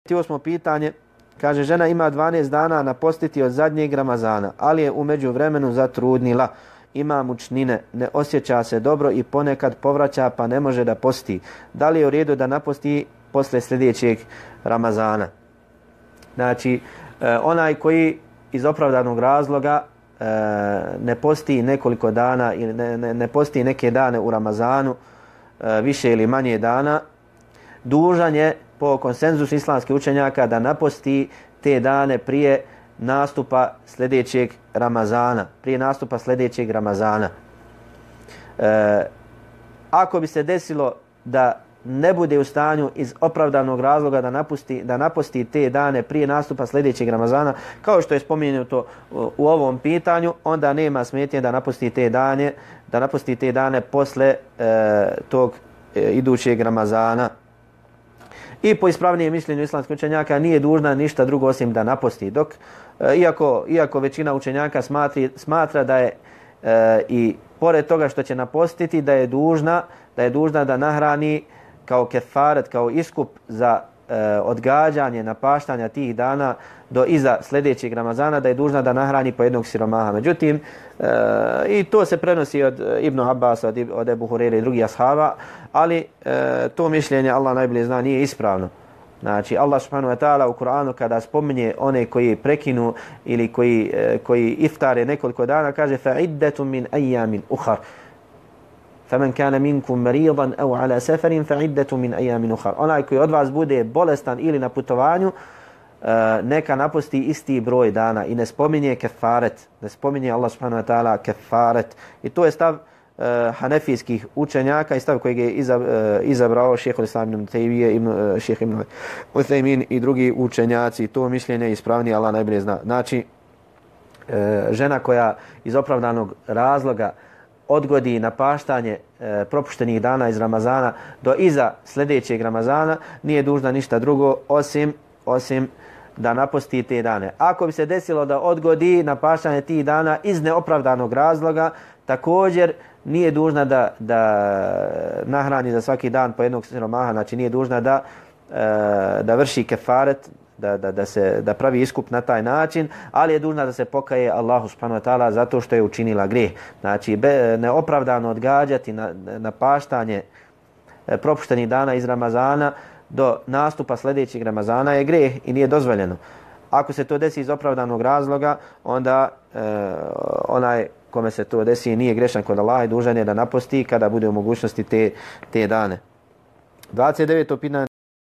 28. pitanje, kaže, žena ima 12 dana napostiti od zadnjeg Ramazana, ali je u međuvremenu zatrudnila. Ima mučnine, ne osjeća se dobro i ponekad povraća pa ne može da posti. Da li je u redu da naposti posle sljedećeg Ramazana? Znači, onaj koji iz opravdanog razloga ne posti nekoliko dana ili ne posti neke dane u Ramazanu, više ili manje dana, dužan je po konsenzusu islamskih učenjaka da naposti te dane prije nastupa sljedećeg Ramazana. Prije nastupa sljedećeg Ramazana. Ako bi se desilo da ne bude u stanju iz opravdanog razloga da naposti te dane prije nastupa sljedećeg Ramazana, kao što je spomenuto u ovom pitanju, onda nema smetnje da naposti te dane posle tog idućeg Ramazana. I po ispravnijem mišljenju islamskih učenjaka nije dužna ništa drugo osim da naposti. Dok, iako većina učenjaka smatra da je i pored toga što će napostiti, da je dužna da nahrani kao kefaret, kao iskup za odgađanje napaštanja tih dana do iza sljedećeg Ramazana, da je dužna da nahrani po jednog siromaha. Međutim, i to se prenosi od Ibn Abbasa, od Ebu Hurere i drugih ashaba, ali to mišljenje, Allah najbolje zna, nije ispravno. Znači, Allah subhanahu wa ta'ala u Kur'anu kada spominje one koji prekinu ili koji iftare nekoliko dana, kaže فَعِدَّةٌ مِنْ أَيَّامٍ أُخَرٍ فَمَنْ كَانَ مِنْكُمْ مَرِيضًا أَوْ عَلَى سَفَرٍ فَعِدَّةٌ مِنْ أَيَّامٍ أُخَرٍ. Onaj koji od vas bude bolestan ili na putovanju, neka naposti isti broj dana i ne spominje kefaret, ne spominje Allah subhanahu wa ta'ala kefaret. I to je stav hanefijskih učenjaka i stav kojeg je izabrao šejh al-Islam ibn Tejmije, šejh ibn Uthejmin i drugi učenjaci. To mišljenje ispravnije, Allah najbolje zna. Znači, žena koja iz opravdanog razloga odgodi napaštanje propuštenih dana iz Ramazana do iza sljedećeg Ramazana, nije dužna ništa drugo osim da naposti te dane. Ako bi se desilo da odgodi napaštanje tih dana iz neopravdanog razloga, također nije dužna da nahrani za svaki dan po jednog siromaha, znači nije dužna da vrši kefaret, da pravi iskup na taj način, ali je dužna da se pokaje Allahu subhanahu wa ta'ala zato što je učinila grijeh. Znači, neopravdano odgađati napaštanje propuštenih dana iz Ramazana do nastupa sljedećeg Ramazana je grijeh i nije dozvoljeno. Ako se to desi iz opravdanog razloga, onda onaj kome se to desi nije grešan kod Allaha i dužan je da naposti kada bude u mogućnosti te dane. 29.